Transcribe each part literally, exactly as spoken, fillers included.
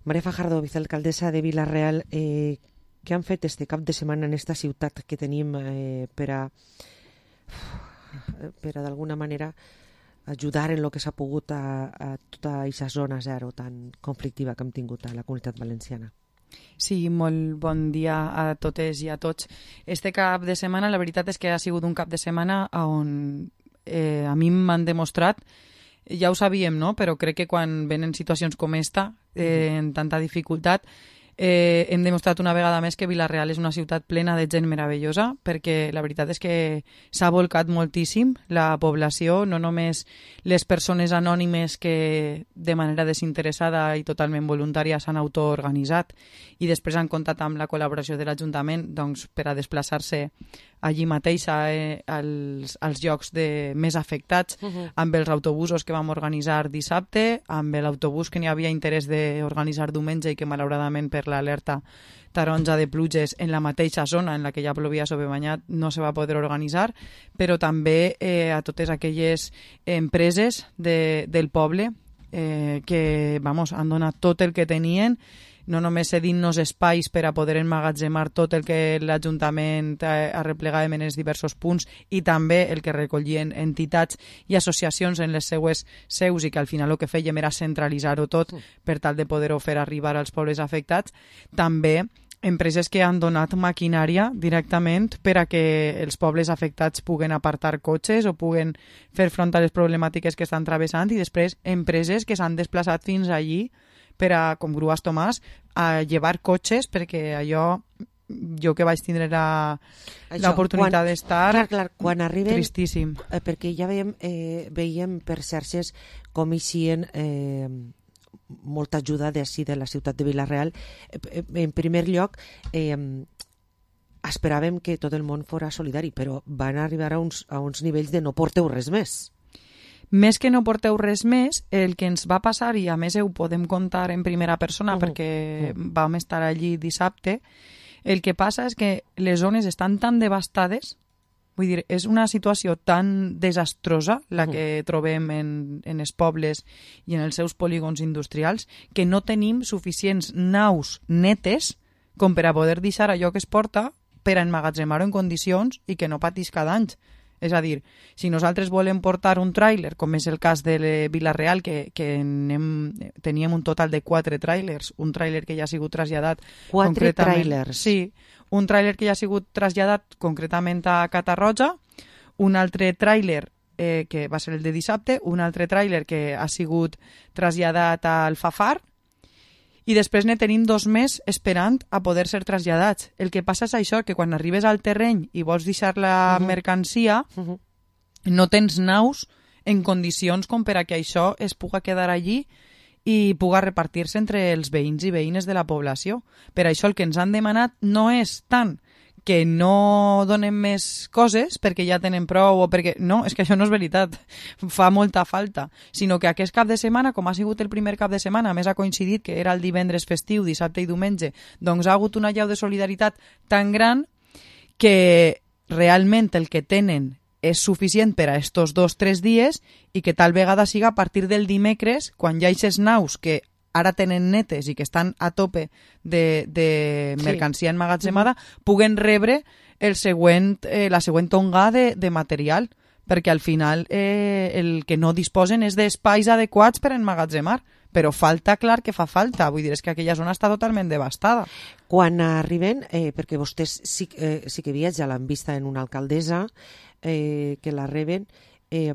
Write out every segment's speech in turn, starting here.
Maria Fajardo, vicealcaldessa de Vila-real, eh, què han fet este cap de setmana en esta ciutat que tenim eh, per a, per a d'alguna manera ajudar en el que s'ha pogut a, a tota aquesta zona zero tan conflictiva que hem tingut a la Comunitat Valenciana? Sí, molt bon dia a totes i a tots. Este cap de setmana, la veritat és que ha sigut un cap de setmana on eh, a mi m'han demostrat, ja ho sabíem, no? Però crec que quan venen situacions com esta, eh, en tanta dificultat, eh, hem demostrat una vegada més que Vila-real és una ciutat plena de gent meravellosa, perquè la veritat és que s'ha volcat moltíssim la població, no només les persones anònimes que de manera desinteressada i totalment voluntària s'han autoorganitzat i després han comptat amb la col·laboració de l'Ajuntament doncs, per a desplaçar-se allí mateix eh, als, als llocs de, més afectats, uh-huh. amb els autobusos que vam organitzar dissabte, amb l'autobús que n'hi havia interès d'organitzar diumenge i que malauradament per l'alerta taronja de pluges en la mateixa zona en la que ja plovia sobrebanyat no se va poder organitzar, però també eh, a totes aquelles empreses de, del poble eh, que vamos, han donat tot el que tenien, no només cedint-nos espais per a poder emmagatzemar tot el que l'Ajuntament arreplegàvem en els diversos punts i també el que recollien entitats i associacions en les seues seus i que al final el que fèiem era centralitzar-ho tot per tal de poder-ho fer arribar als pobles afectats. També empreses que han donat maquinària directament per a que els pobles afectats puguen apartar cotxes o puguen fer front a les problemàtiques que estan travessant i després empreses que s'han desplaçat fins allí per a, com Grues Tomàs, a llevar cotxes, perquè allò, jo que vaig tindre la, l'oportunitat d'estar, clar, clar, quan arriben, tristíssim. Eh, perquè ja veiem, eh, veiem per xarxes com eixien eh, molta ajuda d'ací de la ciutat de Vila-real. Eh, en primer lloc, eh, esperàvem que tot el món fora solidari, però van arribar a uns, a uns nivells de no porteu res més. Més que no porteu res més, el que ens va passar, i a més ho podem contar en primera persona uh-huh. perquè uh-huh. vam estar allí dissabte, el que passa és que les zones estan tan devastades, vull dir, és una situació tan desastrosa la que uh-huh. trobem en, en els pobles i en els seus polígons industrials, que no tenim suficients naus netes com per a poder deixar allò que es porta per a emmagatzemar-ho en condicions i que no patisca danys. És a dir, si nosaltres volem portar un tràiler, com és el cas de Vila-real, que, que anem, teníem un total de quatre tràilers, un tràiler que ja ha sigut traslladat... Quatre tràilers? Sí, un tràiler que ja ha sigut traslladat concretament a Catarroja, un altre tràiler eh, que va ser el de dissabte, un altre tràiler que ha sigut traslladat a Alfafar, i després ne tenim dos més esperant a poder ser traslladats. El que passa és això, que quan arribes al terreny i vols deixar la uh-huh. mercancia, uh-huh. no tens naus en condicions com per a que això es puga quedar allí i puga repartir-se entre els veïns i veïnes de la població. Per això el que ens han demanat no és tant que no donem més coses perquè ja tenen prou o perquè... No, és que això no és veritat, fa molta falta, sinó que aquest cap de setmana, com ha sigut el primer cap de setmana, a més ha coincidit que era el divendres festiu, dissabte i diumenge, doncs ha hagut una llau de solidaritat tan gran que realment el que tenen és suficient per a estos dos o tres dies i que tal vegada siga a partir del dimecres, quan ja hi ha naus que ara tenen netes i que estan a tope de, de mercancia sí. emmagatzemada, puguen rebre el següent, eh, la següent tonga de, de material, perquè al final eh, el que no disposen és d'espais adequats per emmagatzemar, però falta, clar que fa falta, vull dir, és que aquella zona està totalment devastada. Quan arriben, eh, perquè vostès sí, eh, sí que viatja, l'han vista en una alcaldessa, eh, que la reben, eh,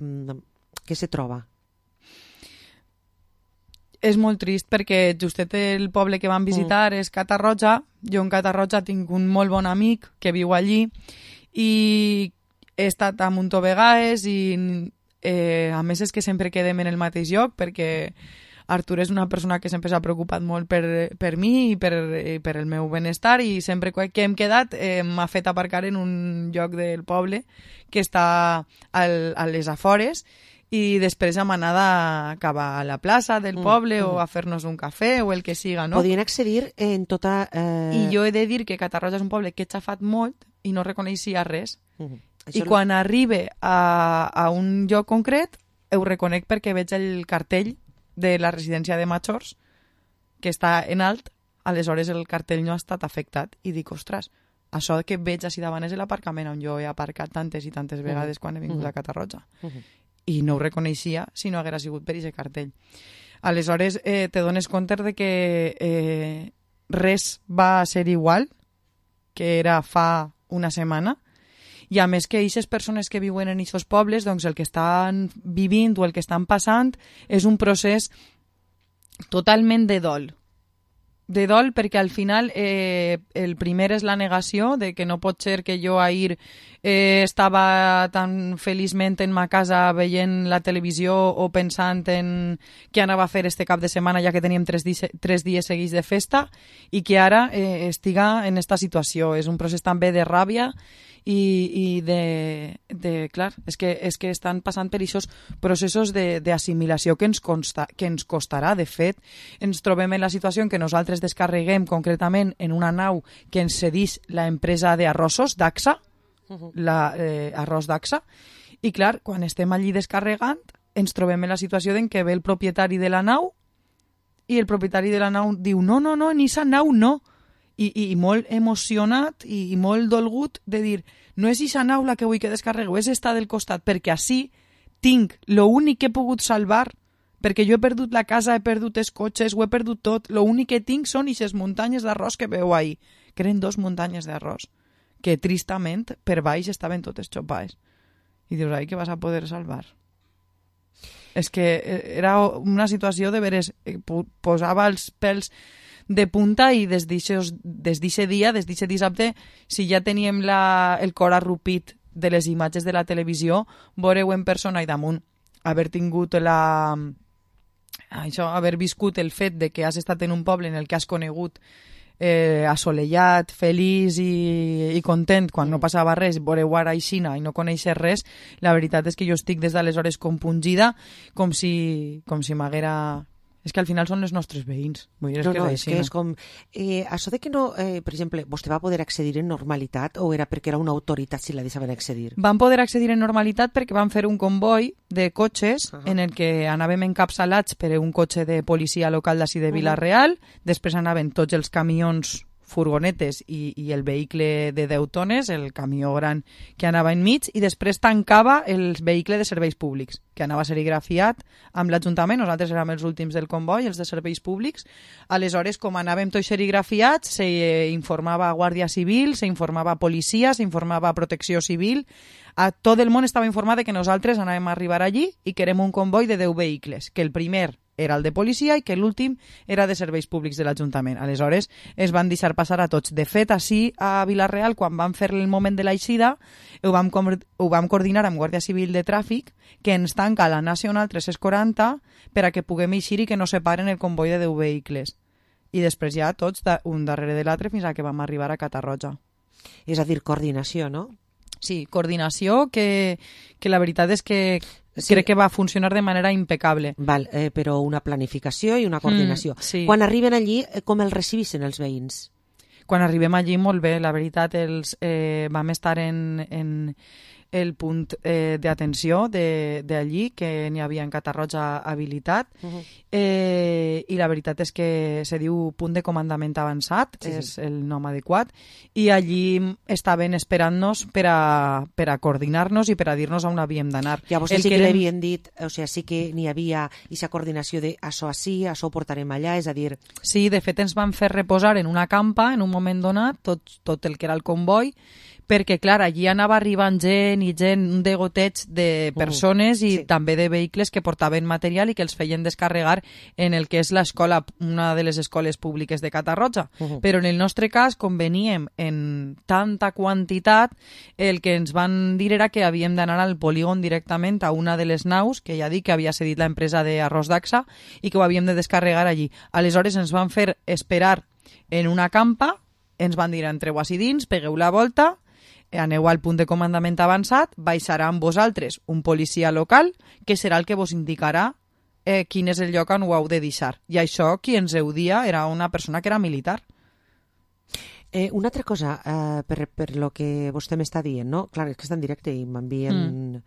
què se troba? És molt trist perquè justet el poble que vam visitar mm. és Catarroja. Jo en Catarroja tinc un molt bon amic que viu allí i he estat a munt de vegades i eh, a més és que sempre quedem en el mateix lloc perquè Artur és una persona que sempre s'ha preocupat molt per, per mi i per, i per el meu benestar i sempre que hem quedat eh, m'ha fet aparcar en un lloc del poble que està al, a les afores i després hem anat cap a la plaça del poble mm, mm. o a fer-nos un cafè o el que siga, no? Podien accedir en tota... Eh... I jo he de dir que Catarroja és un poble que he xafat molt i no reconeixia res. Mm. I Això quan no... arribe a, a un lloc concret ho reconec perquè veig el cartell de la residència de majors que està en alt, aleshores el cartell no ha estat afectat. I dic, ostres, això que veig així davant és l'aparcament on jo he aparcat tantes i tantes vegades quan he vingut a Catarroja. I no ho reconeixia si no haguera sigut per aquest cartell. Aleshores, eh, te dones compte de que eh, res va ser igual que era fa una setmana, i a més que aquestes persones que viuen en aquests pobles, doncs el que estan vivint o el que estan passant és un procés totalment de dol. De dol perquè al final eh, el primer és la negació de que no pot ser que jo ahir eh, estava tan feliçment en ma casa veient la televisió o pensant en què anava a fer este cap de setmana ja que teníem tres, di tres dies seguits de festa i que ara eh, estiga en esta situació. És un procés també de ràbia i, i de, de... Clar, és que, és que estan passant per aquests processos d'assimilació que, ens consta, que ens costarà. De fet, ens trobem en la situació en què nosaltres descarreguem concretament en una nau que ens cedís la empresa d'arrossos, d'Axa, uh-huh. la, eh, arròs d'Axa, i clar, quan estem allí descarregant, ens trobem en la situació en què ve el propietari de la nau i el propietari de la nau diu no, no, no, en aquesta nau no. I, i molt emocionat i, i molt dolgut de dir no és aquesta nau la que vull que descarregueu, és esta del costat, perquè així tinc l'únic que he pogut salvar, perquè jo he perdut la casa, he perdut els cotxes, ho he perdut tot, l'únic que tinc són aquestes muntanyes d'arròs que veu ahí, que eren dos muntanyes d'arròs, que tristament per baix estaven totes xopades. I dius, ai, que vas a poder salvar? És que era una situació de veres, posava els pèls de punta i des d'aquest dia, des d'aquest dissabte, si ja teníem la, el cor arrupit de les imatges de la televisió, veureu en persona i damunt haver tingut la... això, haver viscut el fet de que has estat en un poble en el que has conegut eh, assolellat, feliç i, i content quan no passava res, veureu ara aixina i no coneixer res, la veritat és que jo estic des d'aleshores compungida com si, com si m'haguera... És que al final són els nostres veïns. Vull dir, és no, que no, és, és que és com... Eh, això de que no, eh, per exemple, vostè va poder accedir en normalitat o era perquè era una autoritat si la deixaven accedir? Van poder accedir en normalitat perquè van fer un comboi de cotxes uh -huh. en el que anàvem encapçalats per un cotxe de policia local d'ací de Vila-real, uh -huh. després anaven tots els camions furgonetes i, i el vehicle de deu tones, el camió gran que anava enmig, i després tancava el vehicle de serveis públics, que anava serigrafiat amb l'Ajuntament. Nosaltres érem els últims del comboi, els de serveis públics. Aleshores, com anàvem tots serigrafiats, se informava a Guàrdia Civil, se informava a policia, se informava a Protecció Civil. A tot el món estava informat que nosaltres anàvem a arribar allí i que érem un comboi de deu vehicles, que el primer era el de policia i que l'últim era de serveis públics de l'Ajuntament. Aleshores, es van deixar passar a tots. De fet, així a Vila-real, quan vam fer el moment de l'eixida, ho vam, ho vam coordinar amb Guàrdia Civil de Tràfic, que ens tanca la Nacional tres-cents quaranta per a que puguem eixir i que no separen el comboi de deu vehicles. I després ja tots un darrere de l'altre fins a que vam arribar a Catarroja. És a dir, coordinació, no? Sí, coordinació que, que la veritat és que sí. Crec que va funcionar de manera impecable. Val, eh, però una planificació i una coordinació. Mm, sí. Quan arriben allí, com els recibissin els veïns? Quan arribem allí, molt bé. La veritat, els, eh, vam estar en, en el punt eh, d'atenció d'allí, que n'hi havia en Catarroja habilitat, uh -huh. eh, i la veritat és que se diu punt de comandament avançat, sí, és sí. el nom adequat, i allí estaven esperant-nos per a, per a coordinar-nos i per a dir-nos on havíem d'anar. Ja vostè sí que, que li havien dit, o sigui, sí que n'hi havia aquesta coordinació de això així, això ho portarem allà, és a dir... Sí, de fet ens van fer reposar en una campa en un moment donat, tot, tot el que era el comboi, perquè, clar, allí anava arribant gent i gent, un degoteig de persones uh, i sí. també de vehicles que portaven material i que els feien descarregar en el que és l'escola, una de les escoles públiques de Catarroja. Uh-huh. Però en el nostre cas, com veníem en tanta quantitat, el que ens van dir era que havíem d'anar al polígon directament a una de les naus, que ja dic que havia cedit la empresa d'arròs d'Axa, i que ho havíem de descarregar allí. Aleshores ens van fer esperar en una campa, ens van dir entreu així dins, pegueu la volta, aneu al punt de comandament avançat, baixarà amb vosaltres un policia local que serà el que vos indicarà eh, quin és el lloc on ho heu de deixar. I això, qui ens ho dia, era una persona que era militar. Eh, una altra cosa, eh, per, per lo que vostè m'està dient, no? Clar, és que està en directe i m'envien... Mm.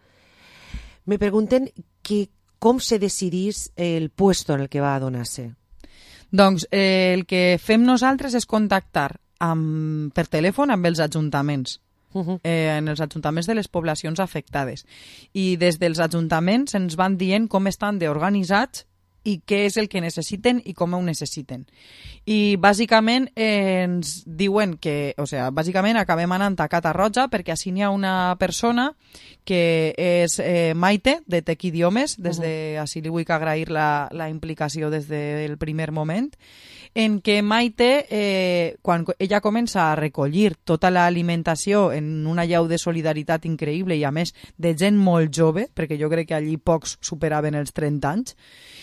Me pregunten que com se decidís el puesto en el que va a donar-se. Doncs eh, el que fem nosaltres és contactar amb, per telèfon amb els ajuntaments. Uh -huh. eh, en els ajuntaments de les poblacions afectades. I des dels ajuntaments ens van dient com estan d'organitzats i què és el que necessiten i com ho necessiten. I bàsicament eh, ens diuen que, o sigui, bàsicament acabem anant a Catarroja perquè així n'hi ha una persona que és eh, Maite, de Tec Idiomes, des de, uh-huh. així li vull agrair la, la implicació des del primer moment, en què Maite, eh, quan ella comença a recollir tota l'alimentació en una llau de solidaritat increïble i a més de gent molt jove, perquè jo crec que allí pocs superaven els trenta anys,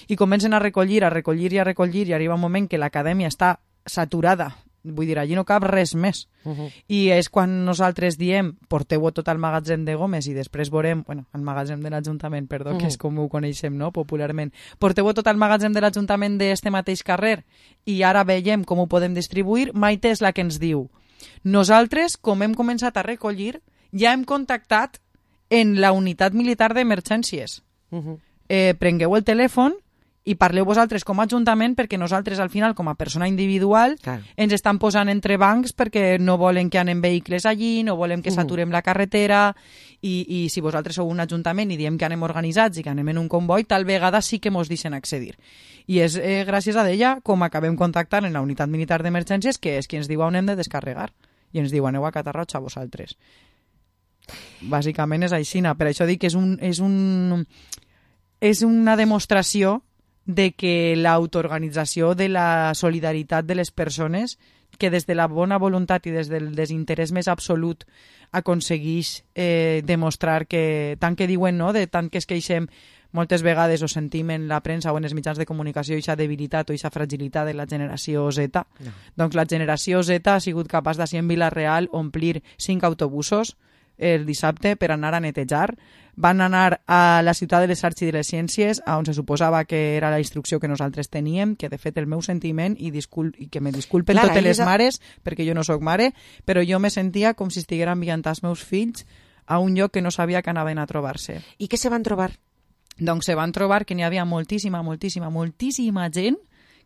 i comencen a recollir, a recollir i a recollir i arriba un moment que l'acadèmia està saturada, vull dir, allí no cap res més. Uh-huh. I és quan nosaltres diem porteu-ho tot al magatzem de Gomes i després veurem, bueno, al magatzem de l'Ajuntament, perdó, uh-huh. que és com ho coneixem, no?, popularment. Porteu-ho tot al magatzem de l'Ajuntament d'este mateix carrer i ara veiem com ho podem distribuir. Maite és la que ens diu, nosaltres, com hem començat a recollir, ja hem contactat en la unitat militar d'emergències. Uh-huh. Eh, prengueu el telèfon i parleu vosaltres com a Ajuntament perquè nosaltres al final com a persona individual claro. ens estan posant entre bancs perquè no volen que anem vehicles allí, no volem que saturem uh-huh. la carretera i, i si vosaltres sou un Ajuntament i diem que anem organitzats i que anem en un comboi, tal vegada sí que mos deixen accedir. I és eh, gràcies a ella com acabem contactant en la unitat militar d'emergències que és qui ens diu on hem de descarregar i ens diu aneu a Catarroja vosaltres. Bàsicament és aixina, per això dic que és un... És un és una demostració de que l'autoorganització de la solidaritat de les persones, que des de la bona voluntat i des del desinterès més absolut aconsegueix eh, demostrar que, tant que diuen, no?, de tant que es queixem, moltes vegades ho sentim en la premsa o en els mitjans de comunicació, aquesta debilitat o aquesta fragilitat de la generació Z. No. Doncs la generació Z ha sigut capaç d'ací en Vila-real omplir cinc autobusos el dissabte per anar a netejar. Van anar a la ciutat de les arts i de les ciències, on se suposava que era la instrucció que nosaltres teníem, que de fet el meu sentiment, i, discul i que me disculpen Clara, totes les mares, perquè jo no sóc mare, però jo me sentia com si estiguera enviant els meus fills a un lloc que no sabia que anaven a trobar-se. I què se van trobar? Doncs se van trobar que n'hi havia moltíssima, moltíssima, moltíssima gent,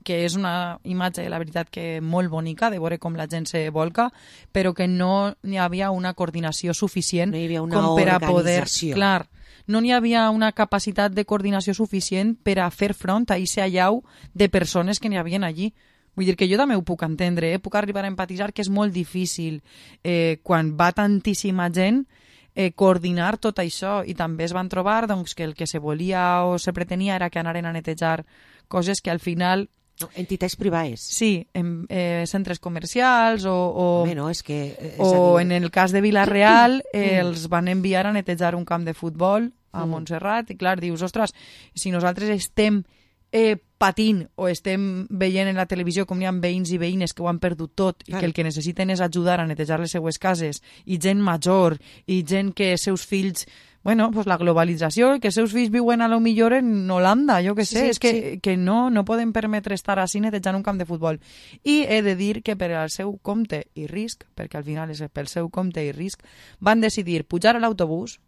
que és una imatge, la veritat, que molt bonica, de veure com la gent se volca, però que no n'hi havia una coordinació suficient no hi havia una com per a poder... organització. Clar, no n'hi havia una capacitat de coordinació suficient per a fer front a aquest allau de persones que n'hi havien allí. Vull dir que jo també ho puc entendre, eh? Puc arribar a empatitzar que és molt difícil eh, quan va tantíssima gent eh, coordinar tot això, i també es van trobar doncs, que el que se volia o se pretenia era que anaren a netejar coses que al final... No, entitats privades. Sí, en eh, centres comercials o, o, Bé, no, és que, és o dir... en el cas de Vila-real eh, els van enviar a netejar un camp de futbol a mm. Montserrat i clar, dius, ostres, si nosaltres estem eh, patint o estem veient en la televisió com hi ha veïns i veïnes que ho han perdut tot i que el que necessiten és ajudar a netejar les seues cases i gent major i gent que seus fills... Bueno, pues la globalització, que els seus fills viuen a lo millor en Holanda, jo que sé, sí, sí, és que, sí. que no, no podem permetre estar així netejant un camp de futbol. I he de dir que per al seu compte i risc, perquè al final és pel seu compte i risc, van decidir pujar a l'autobús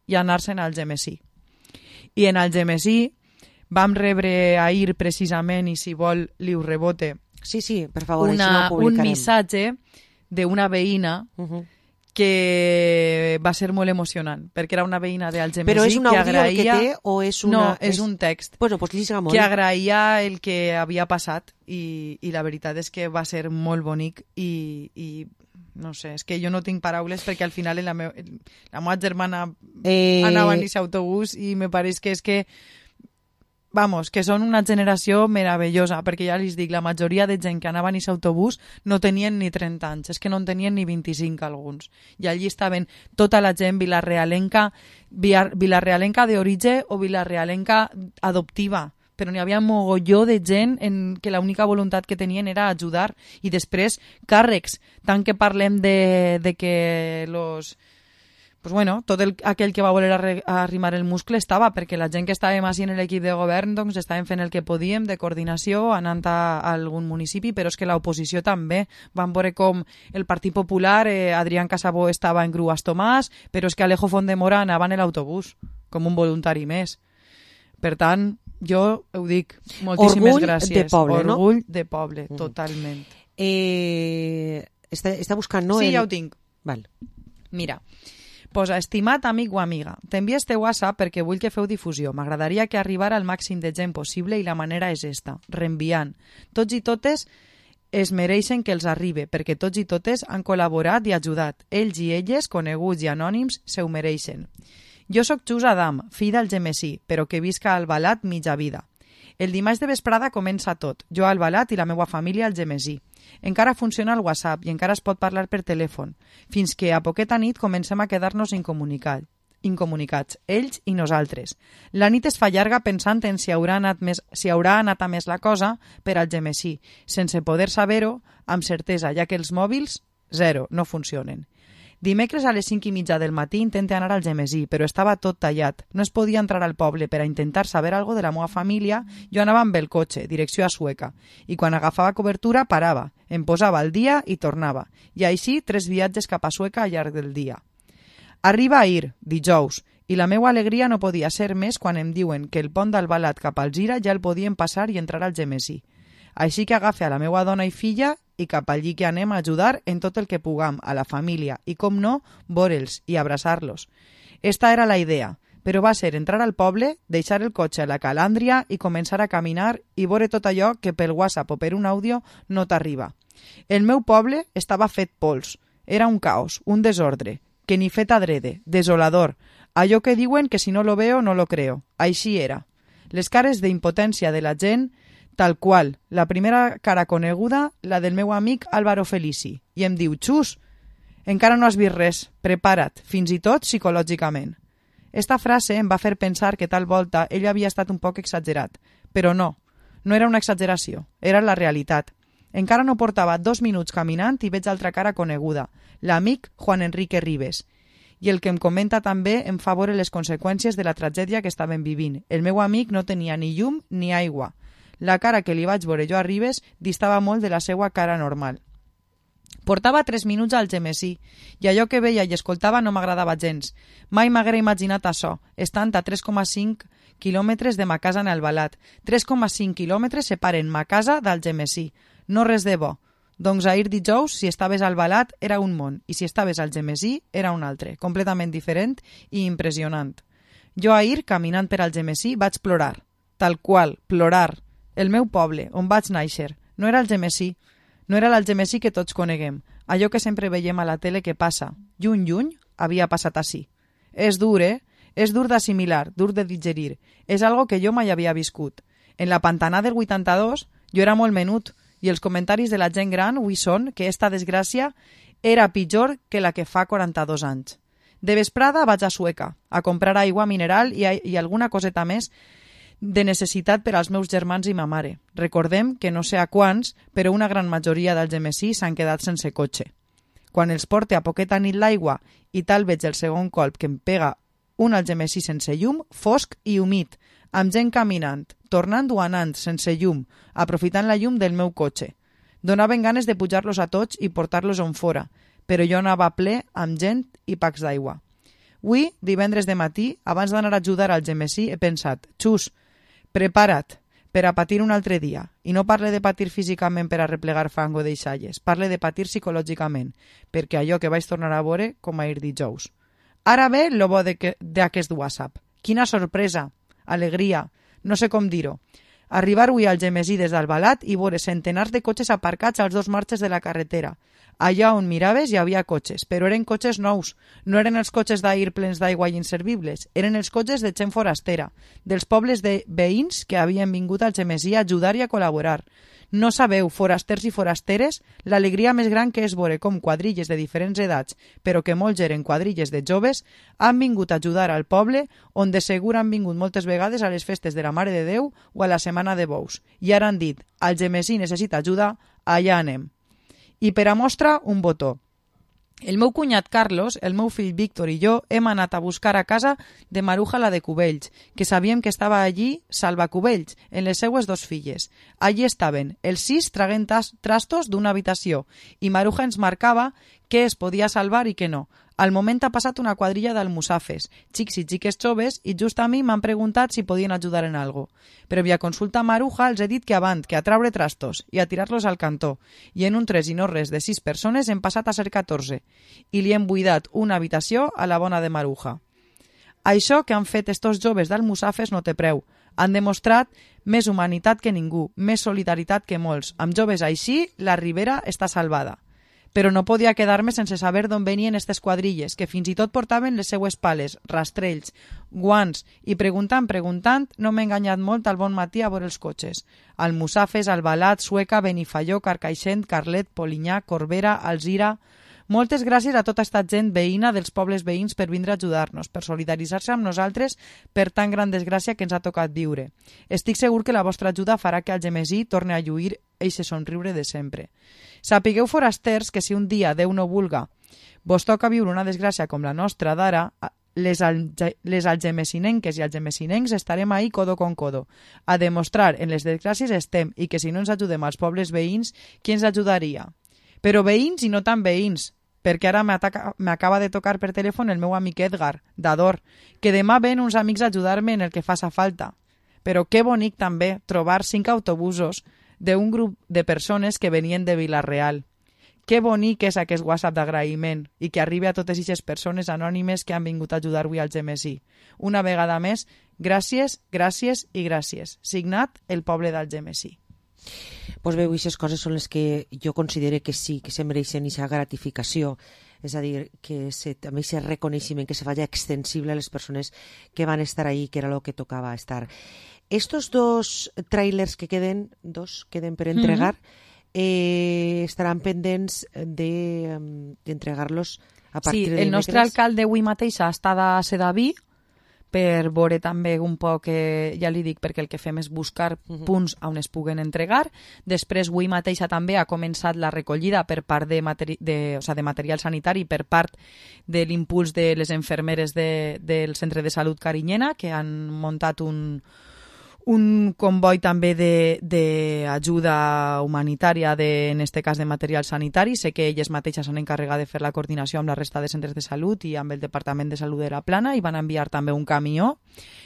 i anar-se'n al Gemesí. I en el Gemesí vam rebre ahir precisament, i si vol li ho rebote, sí, sí, per favor, una, no un missatge d'una veïna uh-huh. que va ser molt emocionant, perquè era una veïna d'Algemesí. Però és un àudio agraïa... el que té o és una... No, és, és un text. Bueno, pues lliga molt. Que agraïa el que havia passat i, i la veritat és que va ser molt bonic i, i no sé, és que jo no tinc paraules perquè al final la, meu, la meva germana eh... anava en aquest autobús i me pareix que és que vamos, que són una generació meravellosa, perquè ja els dic, la majoria de gent que anava en aquest autobús no tenien ni trenta anys, és que no en tenien ni vint-i-cinc alguns. I allí estaven tota la gent vilarrealenca, vilarrealenca d'origen o vilarrealenca adoptiva, però n'hi havia mogolló de gent en que l'única voluntat que tenien era ajudar. I després, càrrecs, tant que parlem de, de que los... Pues bueno, tot el, aquell que va voler arre, arrimar el muscle estava, perquè la gent que estàvem així en l'equip de govern doncs estàvem fent el que podíem de coordinació, anant a, a algun municipi, però és que l'oposició també. Vam veure com el Partit Popular, eh, Adrián Casabó estava en Gruas Tomàs, però és que Alejo Font de Mora anava en l'autobús, com un voluntari més. Per tant, Jo ho dic, moltíssimes Orgull gràcies. de poble, no? Orgull de poble, totalment. Eh, està, està buscant, no? Sí, el... ja ho tinc. Val. Mira, posa, estimat amic o amiga, t'envia este WhatsApp perquè vull que feu difusió. M'agradaria que arribara al màxim de gent possible i la manera és esta, reenviant. Tots i totes es mereixen que els arribi, perquè tots i totes han col·laborat i ajudat. Ells i elles, coneguts i anònims, se ho mereixen. Jo sóc Xus Adam, fill del Gemesí, però que visca a Albalat mitja vida. El dimarts de vesprada comença tot, jo a Albalat i la meva família al Gemesí. Encara funciona el WhatsApp i encara es pot parlar per telèfon, fins que a poqueta nit comencem a quedar-nos incomunicats, incomunicats, ells i nosaltres. La nit es fa llarga pensant en si haurà anat, més, si haurà anat a més la cosa per al Gemesí, sense poder saber-ho amb certesa, ja que els mòbils, zero, no funcionen. Dimecres a les cinc i mitja del matí intenté anar al Gemesí, però estava tot tallat. No es podia entrar al poble per a intentar saber algo de la meva família. Jo anava amb el cotxe, direcció a Sueca, i quan agafava cobertura parava, em posava al dia i tornava. I així tres viatges cap a Sueca al llarg del dia. Arriba ahir, dijous, i la meva alegria no podia ser més quan em diuen que el pont d'Albalat cap al Gira ja el podien passar i entrar al Gemesí. Així que agafe a la meva dona i filla i cap allí que anem a ajudar en tot el que puguem a la família i, com no, veure'ls i abraçar-los. Esta era la idea, però va ser entrar al poble, deixar el cotxe a la calàndria i començar a caminar i veure tot allò que pel WhatsApp o per un àudio no t'arriba. El meu poble estava fet pols. Era un caos, un desordre, que ni fet adrede, desolador. Allò que diuen que si no lo veo no lo creo. Així era. Les cares d'impotència de la gent, tal qual, la primera cara coneguda, la del meu amic Álvaro Felici, i em diu, Xus, encara no has vist res, prepara't, fins i tot psicològicament. Esta frase em va fer pensar que tal volta ell havia estat un poc exagerat, però no, no era una exageració, era la realitat. Encara no portava dos minuts caminant i veig altra cara coneguda, l'amic Juan Enrique Ribes, i el que em comenta també em fa veure les conseqüències de la tragèdia que estaven vivint. El meu amic no tenia ni llum ni aigua. La cara que li vaig veure jo a Ribes distava molt de la seva cara normal. Portava tres minuts al Gemesí i allò que veia i escoltava no m'agradava gens. Mai m'haguera imaginat això, estant a tres coma cinc quilòmetres de ma casa en Albalat. tres coma cinc quilòmetres separen ma casa del Gemesí. No res de bo. Doncs ahir dijous, si estaves al Albalat, era un món, i si estaves al Gemesí, era un altre, completament diferent i impressionant. Jo ahir, caminant per al Gemesí, vaig plorar. Tal qual, plorar. El meu poble, on vaig néixer, no era el Gemesí. No era l'Algemesí que tots coneguem. Allò que sempre veiem a la tele que passa. Lluny, lluny, havia passat així. És dur, eh? És dur d'assimilar, dur de digerir. És algo que jo mai havia viscut. En la Pantanà del vuitanta-dos, jo era molt menut, i els comentaris de la gent gran avui són que esta desgràcia era pitjor que la que fa quaranta-dos anys. De vesprada vaig a Sueca, a comprar aigua mineral i, i alguna coseta més de necessitat per als meus germans i ma mare. Recordem que no sé a quants, però una gran majoria del Gemesí s'han quedat sense cotxe. Quan els porte a poqueta nit l'aigua i tal veig el segon colp que em pega un Algemesí sense llum, fosc i humit, amb gent caminant, tornant o anant sense llum, aprofitant la llum del meu cotxe. Donaven ganes de pujar-los a tots i portar-los on fora, però jo anava ple amb gent i pacs d'aigua. Avui, divendres de matí, abans d'anar a ajudar al Gemesí, he pensat, Xus, prepara't per a patir un altre dia. I no parle de patir físicament per a replegar fang o deixalles, parle de patir psicològicament, perquè allò que vaig tornar a veure com ahir dijous. Ara ve lo bo d'aquest WhatsApp. Quina sorpresa, alegria, no sé com dir-ho. Arribar avui al Gemesí des d'Albalat i veure centenars de cotxes aparcats als dos marges de la carretera. Allà on miraves hi havia cotxes, però eren cotxes nous. No eren els cotxes d'ahir plens d'aigua i inservibles. Eren els cotxes de gent forastera, dels pobles de veïns que havien vingut al Gemesí a ajudar i a col·laborar. No sabeu, forasters i forasteres, l'alegria més gran que és veure com quadrilles de diferents edats, però que molts eren quadrilles de joves, han vingut a ajudar al poble on de segur han vingut moltes vegades a les festes de la Mare de Déu o a la Setmana de Bous. I ara han dit, el Gemesí necessita ajuda, allà anem. I per a mostra, un botó. El meu cunyat Carlos, el meu fill Víctor i jo hem anat a buscar a casa de Maruja la de Cubells, que sabíem que estava allí Salva Cubells, en les seues dos filles. Allí estaven, els sis traguent trastos d'una habitació, i Maruja ens marcava què es podia salvar i què no. Al moment ha passat una quadrilla d'almussafes, xics i xiques joves, i just a mi m'han preguntat si podien ajudar en algo. Previa consulta maruja els he dit que avant, que a traure trastos i a tirar-los al cantó, i en un tres i no res de sis persones hem passat a ser catorze, i li hem buidat una habitació a la bona de Maruja. Això que han fet estos joves d'almussafes no té preu. Han demostrat més humanitat que ningú, més solidaritat que molts. Amb joves així, la Ribera està salvada. Però no podia quedar-me sense saber d'on venien aquestes quadrilles, que fins i tot portaven les seues pales, rastrells, guants, i preguntant, preguntant, no m'he enganyat molt al bon matí a veure els cotxes. Almussafes, Albalat, Sueca, Benifaió, Carcaixent, Carlet, Polinyà, Corbera, Alzira... Moltes gràcies a tota esta gent veïna dels pobles veïns per vindre a ajudar-nos, per solidaritzar-se amb nosaltres per tan gran desgràcia que ens ha tocat viure. Estic segur que la vostra ajuda farà que Algemesí torni a lluir eixe somriure de sempre. Sapigueu, forasters, que si un dia, Déu no vulga, vos toca viure una desgràcia com la nostra d'ara, les, alge les algemesinenques i algemesinencs estarem ahí codo con codo. A demostrar en les desgràcies estem i que si no ens ajudem als pobles veïns, qui ens ajudaria? Però veïns i no tan veïns, perquè ara m'acaba de tocar per telèfon el meu amic Edgar, d'Ador, que demà ven uns amics a ajudar-me en el que faça falta. Però que bonic també trobar cinc autobusos d'un grup de persones que venien de Vila-real. Que bonic és aquest WhatsApp d'agraïment i que arribi a totes aquestes persones anònimes que han vingut a ajudar avui al Algemesí. Una vegada més, gràcies, gràcies i gràcies. Signat el poble d'Algemesí. Pues bé, aquestes coses són les que jo considero que sí, que se mereixen aquesta gratificació, és a dir, que se, també aquest reconeixement que se faci extensible a les persones que van estar ahí, que era el que tocava estar. Estos dos trailers que queden, dos queden per entregar, mm-hmm. eh, estaran pendents d'entregar-los de, a partir sí, de el dimecres. Nostre alcalde avui mateix està a Sedaví, per veure també un poc, eh, ja li dic, perquè el que fem és buscar uh-huh. punts on es puguen entregar. Després, avui mateixa també ha començat la recollida per part de, materi de, o sigui, de material sanitari per part de l'impuls de les infermeres de, del Centre de Salut Carinyena, que han muntat un, un comboi també d'ajuda humanitària, de, en este cas de material sanitari. Sé que elles mateixes s'han encarregat de fer la coordinació amb la resta de centres de salut i amb el Departament de Salut de la Plana, i van enviar també un camió,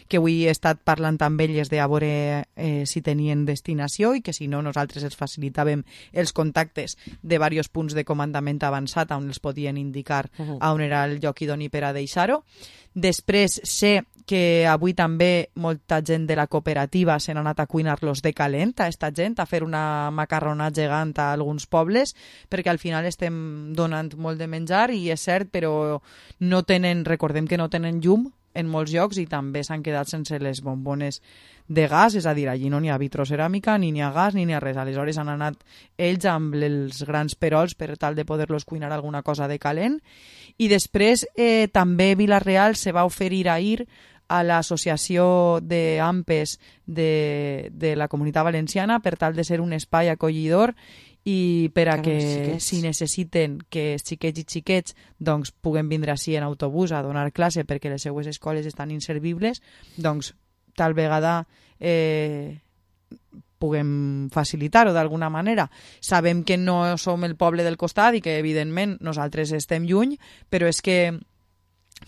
que avui he estat parlant amb elles de a veure eh, si tenien destinació, i que si no nosaltres els facilitàvem els contactes de diversos punts de comandament avançat on els podien indicar uh-huh. on era el lloc idoni per a deixar-ho. Després sé que avui també molta gent de la cooperativa s'han anat a cuinar-los de calent a esta gent, a fer una macarrona gegant a alguns pobles, perquè al final estem donant molt de menjar, i és cert, però no tenen, recordem que no tenen llum en molts llocs, i també s'han quedat sense les bombones de gas, és a dir, allí no n'hi ha vitroceràmica, ni n'hi ha gas, ni n'hi ha res. Aleshores han anat ells amb els grans perols per tal de poder-los cuinar alguna cosa de calent. I després eh, també Vila-real se va oferir ahir a l'associació d'AMPES de, de la Comunitat Valenciana per tal de ser un espai acollidor i per a que si necessiten que els xiquets i xiquets doncs, puguen vindre així en autobús a donar classe perquè les seues escoles estan inservibles, doncs tal vegada eh, puguem facilitar-ho d'alguna manera. Sabem que no som el poble del costat i que evidentment nosaltres estem lluny, però és que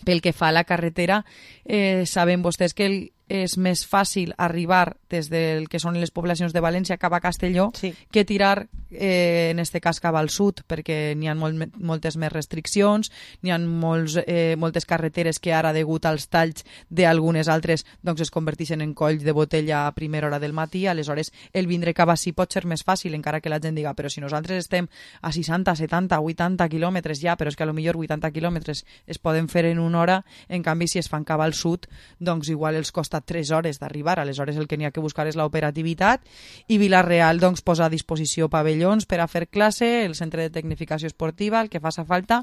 pel que fa a la carretera, eh, saben vostès que el, és més fàcil arribar des del que són les poblacions de València cap a Castelló sí. que tirar, eh, en este cas, cap al sud, perquè n'hi ha molt, moltes més restriccions, n'hi ha molts, eh, moltes carreteres que ara, degut als talls d'algunes altres, doncs es converteixen en coll de botella a primera hora del matí. Aleshores, el vindre cap ací pot ser més fàcil, encara que la gent diga, però si nosaltres estem a seixanta, setanta, vuitanta quilòmetres ja, però és que a lo millor vuitanta quilòmetres es poden fer en una hora, en canvi, si es fan cap al sud, doncs igual els costa tres hores d'arribar. Aleshores el que n'hi ha que buscar és l'operativitat, i Vila-real doncs, posa a disposició pavellons per a fer classe, el centre de tecnificació esportiva, el que faça falta,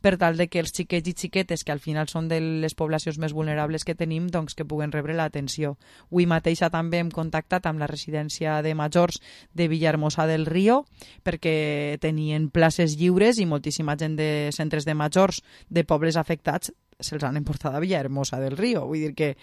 per tal de que els xiquets i xiquetes, que al final són de les poblacions més vulnerables que tenim, doncs que puguen rebre l'atenció. Avui mateixa també hem contactat amb la residència de majors de Villahermosa del Río, perquè tenien places lliures i moltíssima gent de centres de majors de pobles afectats se'ls han emportat a Villahermosa del Río. Vull dir que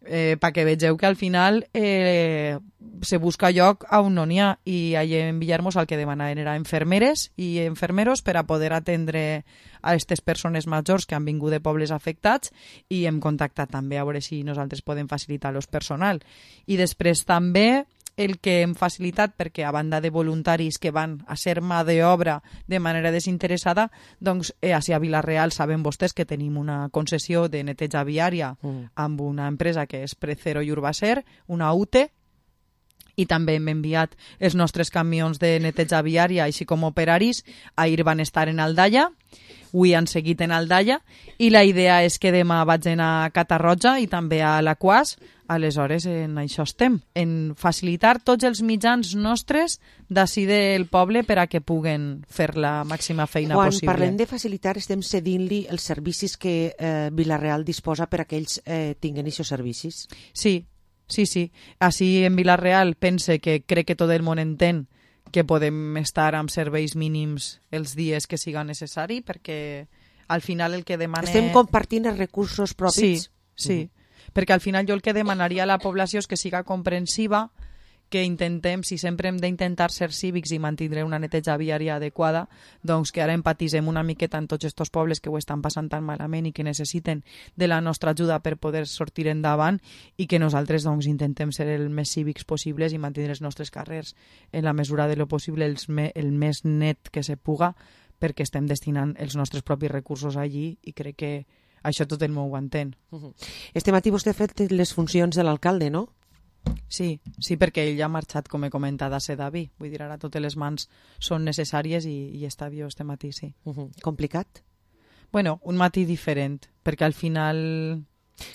eh, perquè vegeu que al final eh, se busca lloc on no n'hi ha, i allà en Villarmós el que demanaven era infermeres i infermeros per a poder atendre a aquestes persones majors que han vingut de pobles afectats, i hem contactat també a veure si nosaltres podem facilitar-los personal. I després també el que hem facilitat, perquè a banda de voluntaris que van a ser mà d'obra de manera desinteressada, doncs eh, a Vila-real saben vostès que tenim una concessió de neteja viària mm. amb una empresa que és Precero i Urbacer, una U T E, i també hem enviat els nostres camions de neteja viària, així com operaris. Ahir van estar en Aldaia, avui han seguit en Aldaia, i la idea és que demà vaig anar a Catarroja i també a l'Aquàs. Aleshores, en això estem, en facilitar tots els mitjans nostres d'ací del poble per a que puguen fer la màxima feina Quan possible. Quan parlem de facilitar, estem cedint-li els servicis que eh, Vila-real disposa per a que ells eh, tinguen aquests servicis? Sí, sí, sí. Així en Vila-real pense que crec que tot el món entén que podem estar amb serveis mínims els dies que siga necessari, perquè al final el que demana... Estem compartint els recursos propis? Sí, sí. Mm. Perquè al final jo el que demanaria a la població és que siga comprensiva, que intentem, si sempre hem d'intentar ser cívics i mantindre una neteja viària adequada, doncs que ara empatisem una miqueta en tots aquests pobles que ho estan passant tan malament i que necessiten de la nostra ajuda per poder sortir endavant, i que nosaltres doncs intentem ser el més cívics possibles i mantindre els nostres carrers en la mesura de lo possible els me, el més net que se puga, perquè estem destinant els nostres propis recursos allí, i crec que això tot el món ho entén. Uh-huh. Este matí vostè ha fet les funcions de l'alcalde, no? Sí, sí, perquè ell ja ha marxat, com he comentat, a Sedaví. Vull dir, ara totes les mans són necessàries i, i està viu este matí, sí. Uh-huh. Complicat? Bueno, un matí diferent, perquè al final...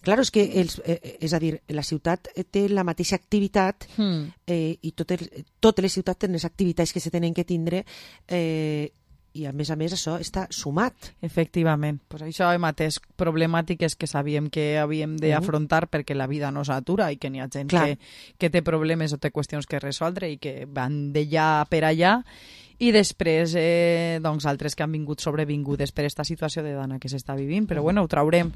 Claro, és que els, eh, és a dir, la ciutat té la mateixa activitat hmm. eh, i tot el, totes les ciutats tenen les activitats que se tenen que tindre, eh, i a més a més això està sumat. Efectivament. Pues això hem atès problemàtiques que sabíem que havíem d'afrontar uh-huh. perquè la vida no s'atura i que n'hi ha gent que, que té problemes o té qüestions que resoldre i que van d'allà per allà, i després eh, doncs altres que han vingut sobrevingudes per aquesta situació de dana que s'està vivint, però bueno, ho traurem.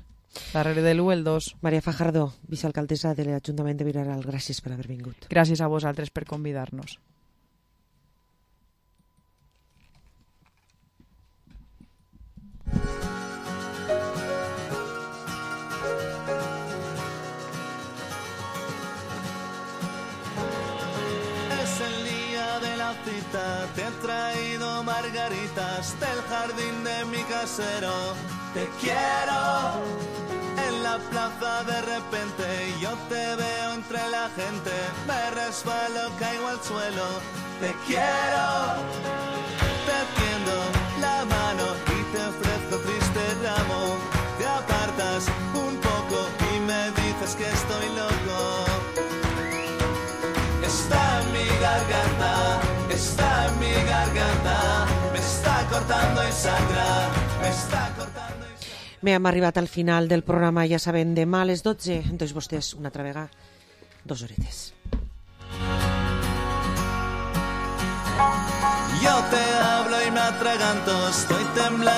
Darrere de l'u, el dos. Maria Fajardo, vicealcaldessa de l'Ajuntament de Vila-real, gràcies per haver vingut. Gràcies a vosaltres per convidar-nos. Te he traído margaritas del jardín de mi casero. Te quiero. En la plaza de repente yo te veo entre la gente. Me resbalo, caigo al suelo. Te quiero. Te tiendo la mano y te ofrezco triste ramo. Te apartas un poco y me dices que estoy loco. Está en mi garganta. Está en mi garganta, me està cortando y sangra, me està cortando y sangra. Bé, hem arribat al final del programa, ja saben, demà a les dotze, doncs vostès una altra vegada, dos horetes. Yo te hablo y me atraganto, estoy temblando.